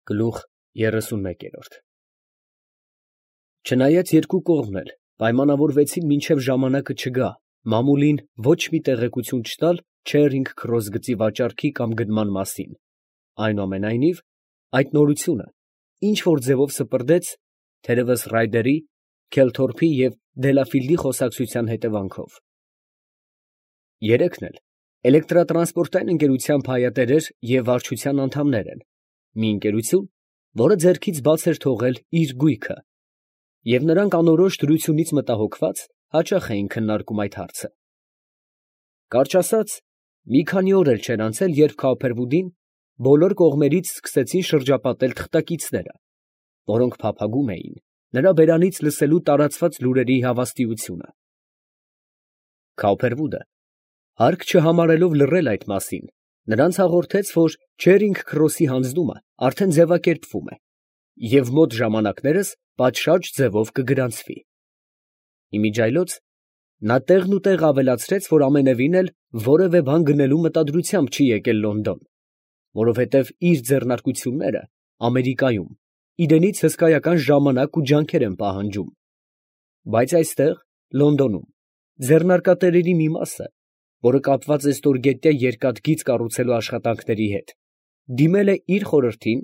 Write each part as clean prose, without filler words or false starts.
Գլուխ 31 Չնայած երկու կողմն էլ պայմանավորվեցին մինչև ժամանակը չգա մամուլին ոչ մի տեղեկություն չտալ Չերինգ Քրոս գծի վաճառքի կամ գնման մասին, այնուամենայնիվ այդ նորությունը ինչ որ ձևով սպրդեց, թերևս Ռայդերի, Քելթորփի և Դելաֆիլդի խոսակցության հետևանքով։ Երեքն էլ էլեկտրատրանսպորտային ընկերության փայատերեր և վարչության անդամներ են, մի ընկերություն, որը ձեռքից բաց էր թողել իր գույքը, և նրանք անորոշ դրությունից մտահոգված հաճախ էին քննարկում այդ հարցը։ Կարճ ասած, մի քանի օր էլ չէր անցել, երբ Քաուփերվուդին բոլոր կողմերից սկսեցին շրջապատել թղթակիցները, որոնք փափագում էին նրա բերանից լսելու տարածված լուրերի հավաստիությունը։ Քաուփերվուդը, հարկ չհամարելով լռել այդ մասին, նրանց հաղորդեց, որ Չերինգ Քրոսի հանձնումը արդեն ձևակերպվում է և մոտ ժամանակներս պատշաճ ձևով կգրանցվի։ Իմիջիայլոց նա տեղնուտեղ ավելացրեց, որ ամենևին էլ որևէ բան գնելու մտադրությամբ չի եկել Լոնդոն, որովհետև իր ձեռնարկությունները Ամերիկայում իրենից հսկայական ժամանակ ու ջանքեր են պահանջում, բայց այստեղ, Լոնդոնում, ձեռնարկատերերի մի մասը, որը կապված է ստորգետնյա երկաթգիծ կառուցելու աշխատանքների հետ, դիմել է իր խորհրդին,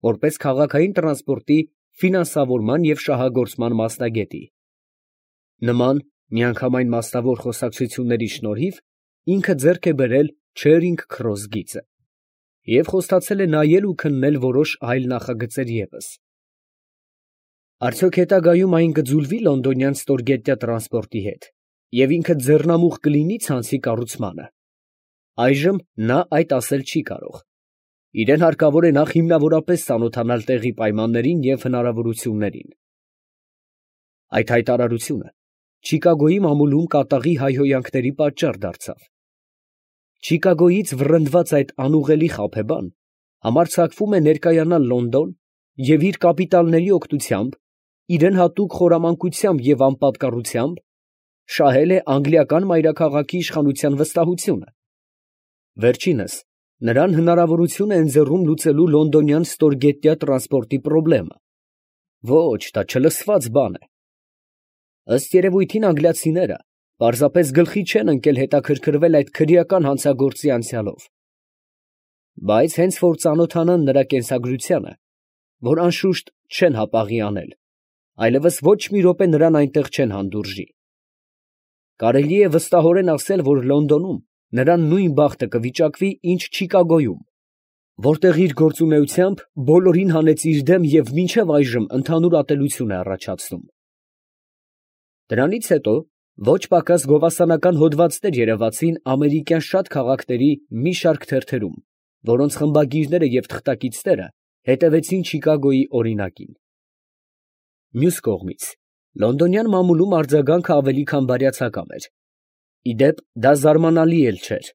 որպես քաղաքային տրանսպորտի ֆինանսավորման և շահագործման մասնագետի։ Նման միանգամայն մասնավոր խոսակցությունների շնորհիվ ինքը ձեռք է բերել Չերինգ Քրոս գիծը և խոստացել է նայել ու քննել որոշ այլ նախագծեր ևս։ Արդյոք հետագայում այն կձուլվի լոնդոնյան ստորգետնյա տրանսպորտի հետ և ինքը ձեռնամուխ կլինի ցանցի կառուցմանը։ Այժմ նա այդ ասել չի կարող։ Իրեն հարկավոր է նախ հիմնավորապես ծանոթանալ տեղի պայմաններին և հնարավորություններին։ Այդ հայտարարությունը Չիկագոյի մամուլում կատաղի հայհոյանքների պատճառ դարձավ։ Չիկագոյից վռնդված այդ անուղղելի խաբեբան համարձակվում է ներկայանալ Լոնդոն և իր կապիտալների օգնությամբ, իրեն հատուկ խորամանկությամբ և անպատկառությամբ շահել է անգլիական մայրաքաղաքի իշխանության վստահությունը։ Վերջինս նրան հնարավորություն է ընձեռում լուծելու լոնդոնյան ստորգետնյա տրանսպորտի պրոբլեմը։ Ոչ, դա չլսված բան է։ Ըստ երևույթին անգլիացիները պարզապես գլխի չեն ընկել հետաքրքրվել այդ քրեական հանցագործի անցյալով։ Բայց հենց որ ծանոթանան նրա կենսագրությանը, որ անշուշտ չեն հապաղի անել, այլևս ոչ մի րոպե նրան այնտեղ չեն հանդուրժի։ Կարելի է վստահորեն ասել, որ Լոնդոնում նրան նույն բախտը կվիճակվի, ինչ Չիկագոյում, որտեղ իր գործունեությամբ բոլորին հանեց իր դեմ և մինչև այժմ ընդհանուր ատելություն է առաջացնում։ Դրանից հետո ոչ պակաս գովասանական հոդվածներ երևացին ամերիկյան շատ քաղաքների մի շարք թերթերում, որոնց խմբագիրները և թղթակիցները հետևեցին Չիկագոյի օրինակին։ Մյուս կողմից, լոնդոնյան մամուլում արձագանքը ավելի քան բարյացակամ էր։ Ի դեպ, դա զարմանալի էլ չէր,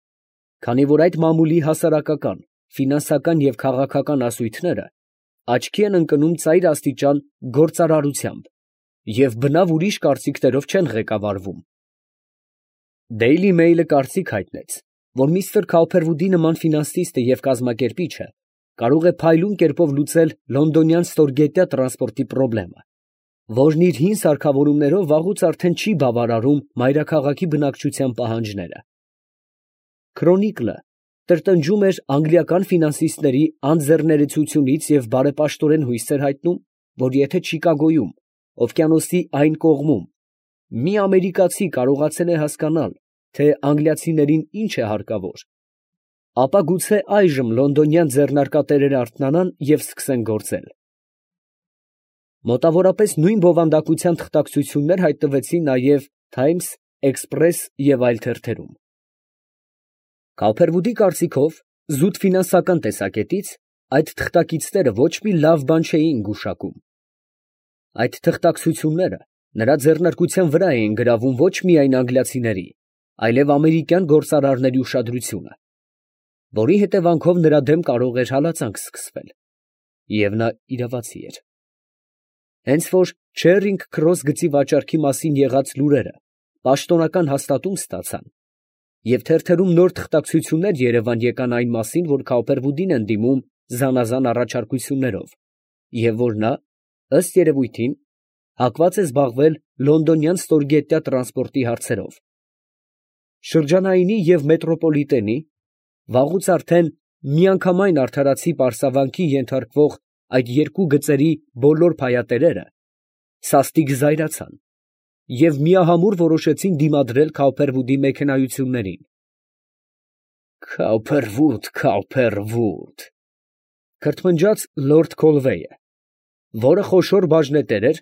քանի որ այդ մամուլի հասարակական, ֆինանսական և քաղաքական ասույթները աչքի են ընկնում ծայր աստիճան գործարարությամբ և բնավ ուրիշ կարծիքներով չեն ղեկավարվում։ Դեյլի Մեյլը կարծիք հայտնեց, որ միստր Քաուփերվուդի նման ֆինանսիստը և կազմակերպիչը կարող է փայլուն կերպով լուծել լոնդոնյան ստորգետնյա տրանսպորտի պրոբլեմը, որն իր հին սարքավորումներով վաղուց արդեն չի բավարարում մայրաքաղաքի բնակչության պահանջները։ Քրոնիկլը տրտնջում էր անգլիական ֆինանսիստների անձեռներեցությունից և բարեպաշտորեն հույս էր հայտնում, որ եթե Չիկագոյում, օվկիանոսի այն կողմում, մի ամերիկացի կարողացել է հասկանալ, թե անգլիացիներին ինչ է հարկավոր, ապա գուցե այժմ լոնդոնյան ձեռնարկատերերը արթնանան և սկսեն գործել։ Մոտավորապես նույն բովանդակության թղթակցություններ հայտնվեցին նաև Times, Express և այլ թերթերում։ Քաուփերվուդի կարծիքով, զուտ ֆինանսական տեսակետից, այդ թղթակիցները ոչ մի լավ բան չէին գուշակում։ Այդ թղթակցությունները նրա ձեռնարկության վրա էին գրավում ոչ միայն անգլիացիների, այլև ամերիկյան գործարարների ուշադրությունը, որի հետևանքով նրա դեմ կարող էր հալածանք սկսվել, և նա իրավացի էր։ Հենց որ Չերինգ Քրոս գծի վաճառքի մասին եղած լուրերը պաշտոնական հաստատում ստացան, և թերթերում նոր թղթակցություններ երևան եկան այն մասին, որ Քաուփերվուդին են դիմում զանազան առաջարկություններով, և որ նա, ըստ երևույթին, հակված է զբաղվել լոնդոնյան ստորգետնյա տրանսպորտի հարցերով։ Շրջանայինի և մետրոպոլիտենի, վաղուց արդեն միանգամայն արդարացի պարսավանքի ենթարկվող այդ երկու գծերի բոլոր փայատերերը սաստիկ զայրացան և միահամուռ որոշեցին դիմադրել Քաուփերվուդի մեքենայություններին։ «Քաուփերվուդ, Քաուփերվուդ», քրթմնջաց լորդ Քոլվեյը, որը խոշոր բաժնետեր էր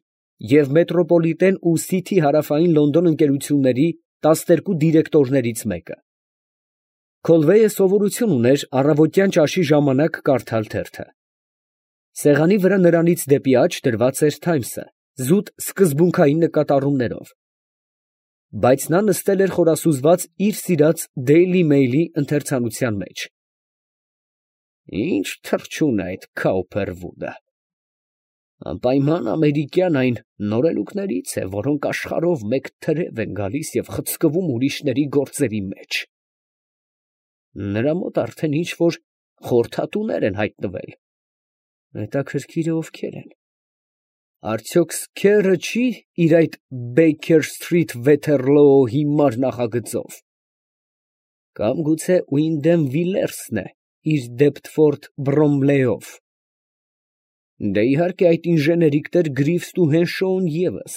և մետրոպոլիտեն ու Սիթի հարավային Լոնդոն ընկերությունների 12 դիրեկտորներից մեկը։ Քոլվեյը սովորություն ուներ առավոտյան ճաշի ժամանակ կարդալ թերթը։ Սեղանի վրա նրանից դեպի աջ դրված էր «Թայմսը» զուտ սկզբունքային նկատառումներով, բայց նա նստել էր խորասուզված իր սիրած «Դեյլի Մեյլի» ընթերցանության մեջ։ «Ի՞նչ թռչուն է այդ Քաուփերվուդը. անպայման ամերիկյան այն նորելուկներից է, որոնք աշխարհով մեկ թրև են գալիս և խցկվում ուրիշների գործերի մեջ. նրա մոտ արդեն ինչ֊որ խորհրդատուներ են հայտնվել. հետաքրքիր է ովքեր են. արդյոք Սքերը չի իր այդ Բեյքեր Սթրիթ Վեթերլոո հիմար նախագծով, կամ գուցե Ուինդեմ Վիլերսն է իր Դեպտֆորդ Բրոմլեյով, դե իհարկե այդ ինժեներիկ տեր Գրիվսն ու Հենշոուն ևս.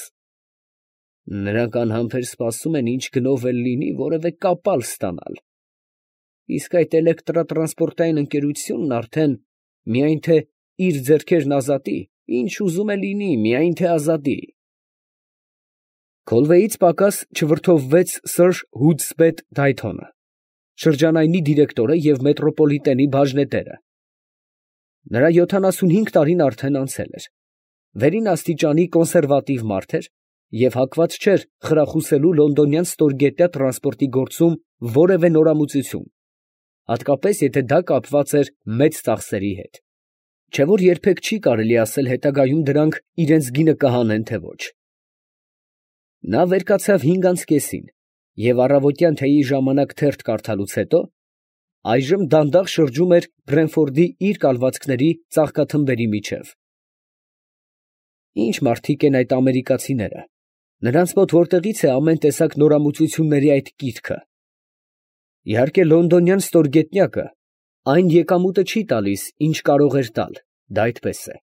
նրանք անհամբեր սպասում են ինչ գնով էլ լինի որևէ կապալ ստանալ, իսկ այդ էլեկտրատրանսպորտային ընկերությունն արդեն միայն թե իր ձեռքերն ազատի, ինչ ուզում է լինի, միայն թե ազատի»։ Քոլվեյից պակաս չվրդովվեց սըր Հուդսպետ Դայթոնը, շրջանայինի դիրեկտորը և մետրոպոլիտենի բաժնետերը։ Նրա 75 տարին արդեն անցել էր, վերին աստիճանի կոնսերվատիվ մարդ էր և հակված չէր խրախուսելու լոնդոնյան ստորգետնյա տրանսպորտի գործում որևէ նորամուծություն, հատկապես եթե դա կապված էր մեծ ծախսերի հետ, չէ որ երբեք չի կարելի ասել հետագայում դրանք իրանց գինը կհանեն, թե ոչ։ Նա վեր կացավ 5:30 և առավոտյան թեյի ժամանակ թերթ կարդալուց հետո այժմ դանդաղ շրջում էր Բրենֆորդի իր կալվածքների ծաղկաթմբերի միջև։ Ինչ մարդիկ են այդ ամերիկացիները, նրանց մոտ որտեղից է ամեն տեսակ նորամուծությունների այդ կիրքը։ Իհարկե լոնդոնյան ստորգետնյակը այն եկամուտը չի տալիս, ինչ կարող էր տալ, դա այդպես է։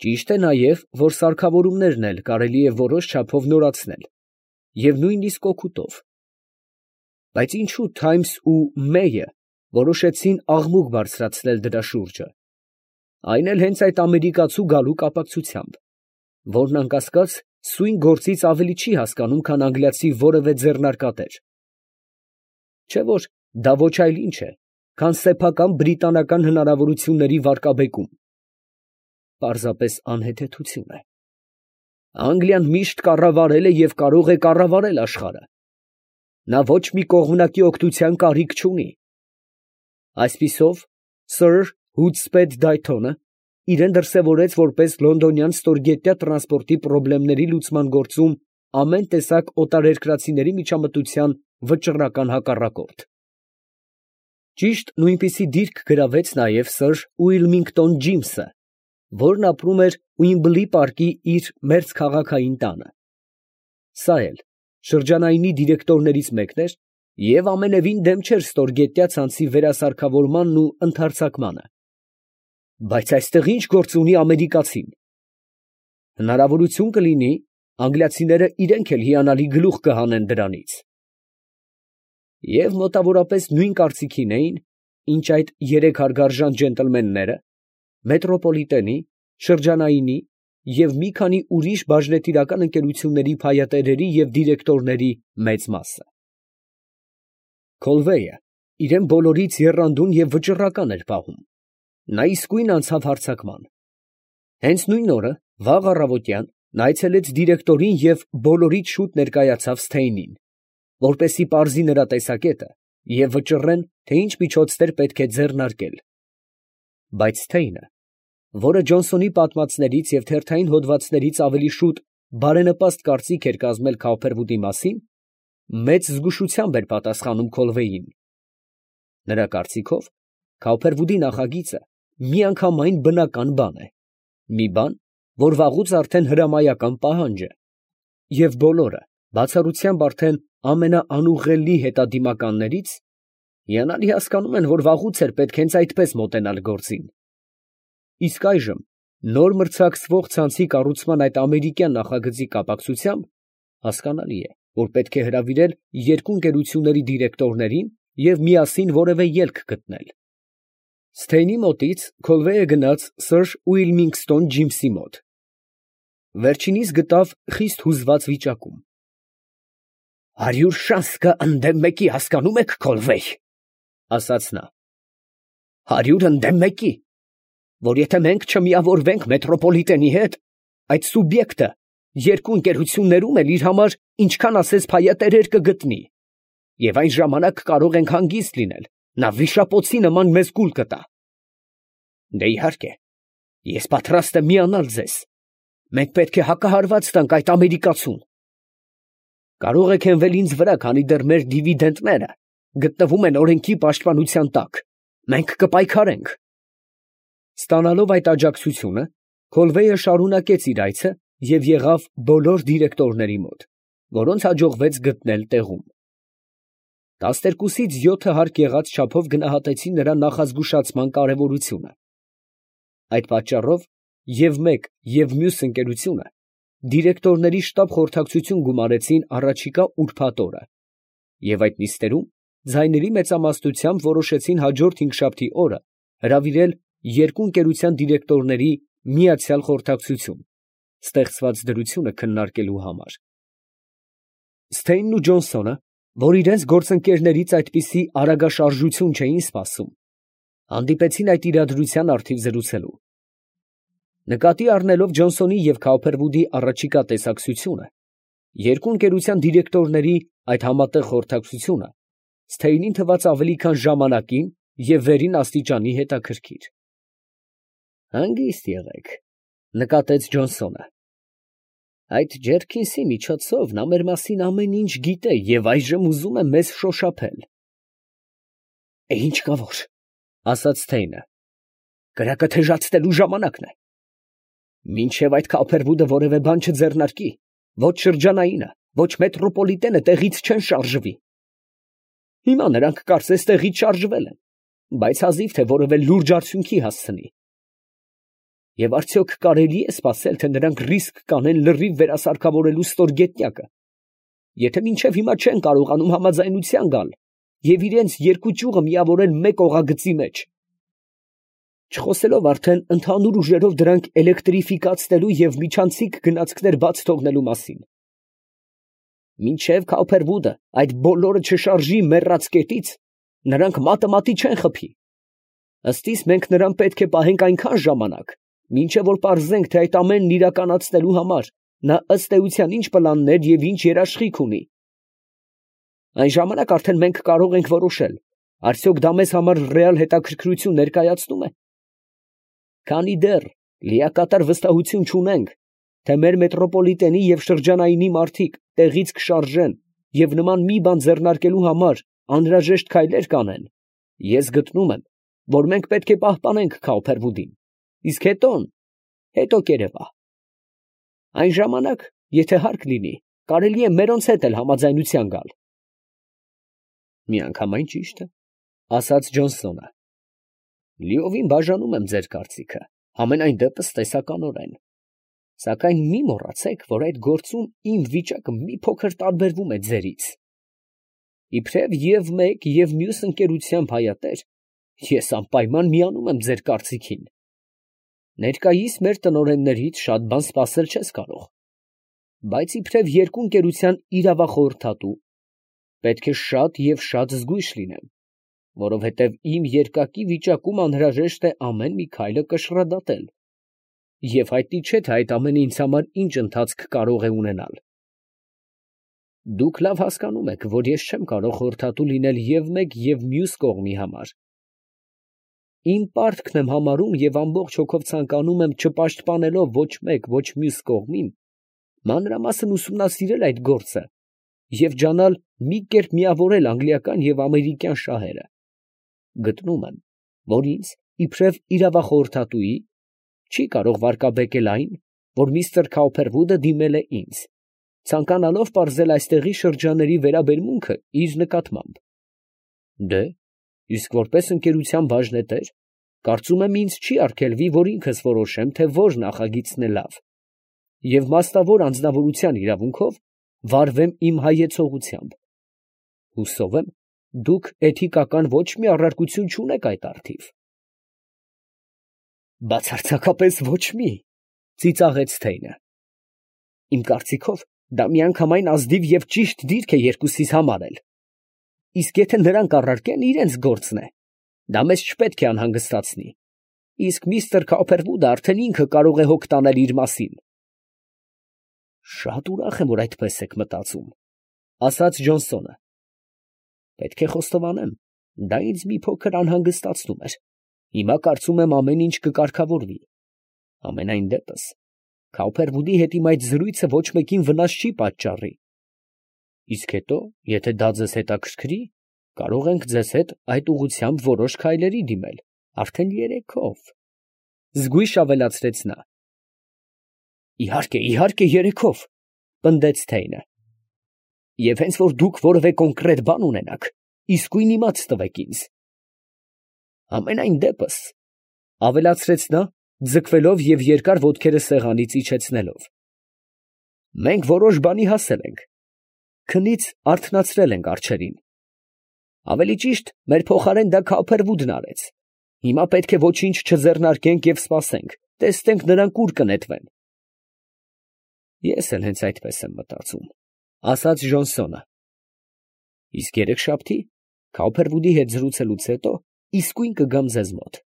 Ճիշտ է նաև, որ սարքավորումներն էլ կարելի է որոշ չափով նորացնել, և նույնիսկ օգուտով։ Բայց ինչու Թայմս ու Մեյը որոշեցին աղմուկ բարձրացնել դրա շուրջը, այն էլ հենց այդ ամերիկացու գալու կապակցությամբ, որն անկասկած սույն գործից ավելի չի հասկանում, քան անգլիացի որևէ ձեռնարկատեր։ Չէ որ դա ոչ այլ ինչ է, քան սեփական բրիտանական հնարավորությունների վարկաբեկում, պարզապես անհեթեթություն է։ Անգլիան միշտ կառավարել է և կարող է կառավարել աշխարհը, նա ոչ մի կողմնակի օգնության կարիք չունի։ Այսպիսով սըր Հուդսպետ Դայթոնը իրան դրսևորեց որպես լոնդոնյան ստորգետնյա տրանսպորտի պրոբլեմների լուծման գործում ամեն տեսակ օտարերկրացիների միջամտության վճռական հակառակորդ։ Ճիշտ նույնպիսի դիրք գրավեց նաև սըր Ուիլմինգտոն Ջիմսը, որն ապրում էր Ուիմբլի պարկի իր մերձքաղաքային տանը։ Սա էլ շրջանայինի դիրեկտորներից մեկն էր և ամենևին դեմ չէր ստորգետնյա ցանցի վերասարքավորմանն ու ընդարձակմանը։ Բայց այստեղ ի՞նչ գործ ունի ամերիկացին։ Հնարավորություն կլինի, անգլիացիները իրենք էլ հիանալի գլուխ կհանեն դրանից։ Եվ մոտավորապես նույն կարծիքին էին, ինչ այդ երեք հարգարժան ջենտլմենները, մետրոպոլիտենի, շրջանայինի և մի քանի ուրիշ բաժնետիրական ընկերությունների փայատերերի և դիրեկտորների մեծ մասը։ Քոլվեյը իրան բոլորից եռանդուն և վճռական էր պահում. նա իսկույն անցավ հարձակման։ Հենց նույն օրը, վաղ առավոտյան, նա այցելեց դիրեկտորին և բոլորից շուտ ներկայացավ Սթեյնին, որպեսզի պարզի նրա տեսակետը և վճռեն, թե ինչ միջոցներ պետք է ձեռնարկել։ Բայց Սթեյնը, որը Ջոնսոնի պատմածներից և թերթային հոդվածներից ավելի շուտ բարենպաստ կարծիք էր կազմել Քաուփերվուդի մասին, մեծ զգուշությամբ էր պատասխանում Քոլվեյին։ Նրա կարծիքով, Քաուփերվուդի նախագիծը միանգամայն բնական բան է, մի բան, որ վաղուց արդեն հրամայական պահանջ է, և բոլորը, բացառությամբ արդեն ամենաանուղղելի հետադիմականներից, հիանալի հասկանում են, որ վաղուց էր պետք հենց այդպես մոտենալ գործին։ Իսկ այժմ, նոր մրցակցվող ցանցի կառուցման այդ ամերիկյան նախագծի կապակցությամբ, հասկանալի է, որ պետք է հրավիրել երկու ընկերությունների դիրեկտորներին և միասին որևէ ելք գտնել։ Սթեյնի մոտից Քոլվեյը գնաց Սր Ուիլմինգստոն Ջիմսի մոտ։ Վերջինիս գտավ խիստ հուզված վիճակում։ 100 շանսկը ընդդեմ մեկի, հասկանում եք, Քոլվեյ, ֊ ասաց նա։ 100 ընդդեմ մեկի, որ եթե մենք չմիավորվենք մետրոպոլիտենի հետ, այդ սուբյեկտը երկու ընկերություններում էլ իր համար ինչքան ասես փայատերեր կգտնի, և այն ժամանակ կարող ենք հանգիստ լինել, նա վիշապոցի նման մեզ կուլ կտա։ Դե իհարկե, ես պատրաստ եմ միանալ ձեզ, մենք պետք է հակահարված տանք այդ ամերիկացուն։ Կարող եք հենվել ինձ վրա, քանի դեռ մեր դիվիդենտները գտնվում են օրենքի պաշտպանության տակ, մենք կպայքարենք։ Ստանալով այդ աջակցությունը, Քոլվեյը շարունակեց իր այցը և եղավ բոլոր դիրեկտորների մոտ, որոնց հաջողվեց գտնել տեղում։ 12-ից 7 հարկ եղած չափով գնահատեցին նրա նախազգուշացման կարևորությունը։ Այդ պատճառով և մեկ և մյուս ընկերությունը դիրեկտորների շտապ խորհրդակցություն գումարեցին առաջիկա ուրբաթ օրը, և այդ նիստերում ձայների մեծամասնությամբ որոշեցին հաջորդ հինգշաբթի օրը հրավիրել երկու ընկերության դիրեկտորների միացյալ խորհրդակցություն, ստեղծված դրությունը քննարկելու համար։ Սթեյնն ու Ջոնսոնը, որ իրենց գործընկերներից այդպիսի արագաշարժություն չէին սպասում, հանդիպեցին այդ իրադրության առթիվ զրուցելու։ Նկատի առնելով Ջոնսոնի և Քաուփերվուդի առաջիկա տեսակցությունը, երկու ընկերության դիրեկտորների այդ համատեղ խորհրդակցությունը Սթեյնին թվաց ավելի քան ժամանակին և վերին աստիճանի հետաքրքիր։ «Հանգիստ եղեք, ֊ նկատեց Ջոնսոնը, ֊ այդ Ջերքինսի միջոցով նա մեր մասին ամեն ինչ գիտե և այժմ ուզում է մեզ շոշափել»։ «Ինչ կա որ, ֊ ասաց Սթեյնը, ֊ կրակը թեժացնելու ժամանակն է։ Մինչև այդ Քաուփերվուդը որևէ բան չձեռնարկի, ոչ շրջանայինը, ոչ մետրոպոլիտենը տեղից չեն շարժվի։ Հիմա նրանք կարծես տեղից շարժվել են, բայց հազիվ թե որևէ լուրջ արդյունքի հասցնի։ Եվ արդյոք կարելի է սպասել, թե նրանք ռիսկ կանեն լրիվ վերասարքավորելու ստորգետնյակը, եթե մինչև հիմա չեն կարողանում համաձայնության գալ և իրենց երկու ճյուղը միավորել մեկ օղագծի մեջ, չխոսելով արդեն ընդհանուր ուժերով դրանք էլեկտրիֆիկացնելու և միջանցիկ գնացքներ բաց թողնելու մասին։ Մինչև Քաուփերվուդը այդ բոլորը չշարժի մեռած կետից, նրանք մատը մատի չեն խփի։ Ըստ իս մենք նրան պետք է պահենք այնքան ժամանակ, մինչև որ պարզենք, թե այդ ամենն իրականացնելու համար նա ըստ էության ինչ պլաններ և ինչ երաշխիք ունի։ Այն ժամանակ արդեն մենք կարող ենք որոշել, արդյոք դա մեզ համար ռեալ հետաքրքրություն ներկայացնում է։ Քանի դեռ լիակատար վստահություն չունենք, թե մեր մետրոպոլիտենի և շրջանայինի մարդիկ տեղից կշարժեն և նման մի բան ձեռնարկելու համար անհրաժեշտ քայլեր կանեն, ես գտնում եմ, որ մենք պետք է պահպանենք Քաուփերվուդին, իսկ հետո կերևա։ Այն ժամանակ, եթե հարկ լինի, կարելի է մերոնց հետ էլ համաձայնության գալ։ Միանգամայն ճիշտ է, ֊ ասաց Ջոնսոնը։ Լիովին բաժանում եմ ձեր կարծիքը, համենայն դեպս տեսականորեն, սակայն մի մոռացեք, որ այդ գործում իմ վիճակը մի փոքր տարբերվում է ձերից։ Իբրև և մեկ և մյուս ընկերության փայատեր, ես անպայման միանում եմ ձեր կարծիքին։ Ներկայիս մեր տնօրեններից շատ բան սպասել չես կարող, բայց իբրև երկու ընկերության իրավախորհրդատու պետք է շատ և շատ զգույշ լինեմ, որովհետև իմ երկակի վիճակում անհրաժեշտ է ամեն մի քայլը կշռադատել, և հայտնի չէ, թե այդ ամենը ինձ համար ինչ ընթացք կարող է ունենալ։ Դուք լավ հասկանում եք, որ ես չեմ կարող խորհրդատու լինել և մեկ և մյուս կողմի համար։ Իմ պարտքն եմ համարում և ամբողջ հոգով ցանկանում եմ չպաշտպանելով ոչ մեկ, ոչ մյուս կողմին, մանրամասն ուսումնասիրել այդ գործը և ջանալ մի կերպ միավորել անգլիական և ամերիկյան շահերը։ Գտնում եմ, որ ինձ, իբրև իրավախորհրդատուի, չի կարող վարկաբեկել այն, որ միստր Քաուփերվուդը դիմել է ինձ, ցանկանալով պարզել այստեղի շրջանների վերաբերմունքը իր նկատմամբ։ Դե, իսկ որպես ընկերության բաժնետեր, կարծում եմ ինձ չի արգելվի, որ ինքս որոշեմ, թե որ նախագիծն է լավ, և մասնավոր անձնավորության իրավունքով վարվեմ իմ հայեցողությամբ։ Հուսով եմ, դուք էթիկական ոչ մի առարկություն չունեք այդ առթիվ։ Բացարձակապես ոչ մի, ծիծաղեց Թեյնը։ Իմ կարծիքով, դա միանգամայն ազնիվ և ճիշտ դիրք է երկուսիս համար էլ։ Իսկ եթե նրանք առարկեն, իրենց գործն է, դա մեզ չպետք է անհանգստացնի։ Իսկ միստր Քաուփերվուդը արդեն ինքը կարող է հոգ տանել իր մասին։ Շատ ուրախ եմ, որ այդպես եք մտածում, ասաց Ջոնսոնը։ Պետք է խոստովանեմ, դա ինձ մի փոքր անհանգստացնում էր։ Հիմա կարծում եմ ամեն ինչ կկարգավորվի։ Համենայն դեպս, Քաուփերվուդի հետ իմ այդ զրույցը ոչ մեկին վնաս չի պատճառի։ Իսկ հետո, եթե դա ձեզ հետաքրքրի, կարող ենք ձեզ հետ այդ ուղղությամբ որոշ քայլերի դիմել, արդեն երեքով, զգույշ ավելացրեց նա։ Իհարկե, երեքով, պնդեց Թեյնը։ Եվ հենց որ դուք որևէ կոնկրետ բան ունենաք, իսկույն իմաց տվեք ինձ։ Համենայն դեպս, ավելացրեց նա, ձգվելով և երկար ոտքերը սեղանից իջեցնելով, մենք որոշ բանի հասել ենք, քնից արթնացրել ենք արջերին։ Ավելի ճիշտ, մեր փոխարեն դա Քաուփերվուդն արեց։ Հիմա պետք է ոչինչ չձեռնարկենք և սպասենք, տեսնենք նրանք ուր կնետվեն։ Ես էլ հենց այդպես եմ մտածում, ասաց Ժոնսոնը։ Իսկ երեքշաբթի Քաուփերվուդի հետ զրուցելուց հետո իսկույն կգամ ձեզ մոտ։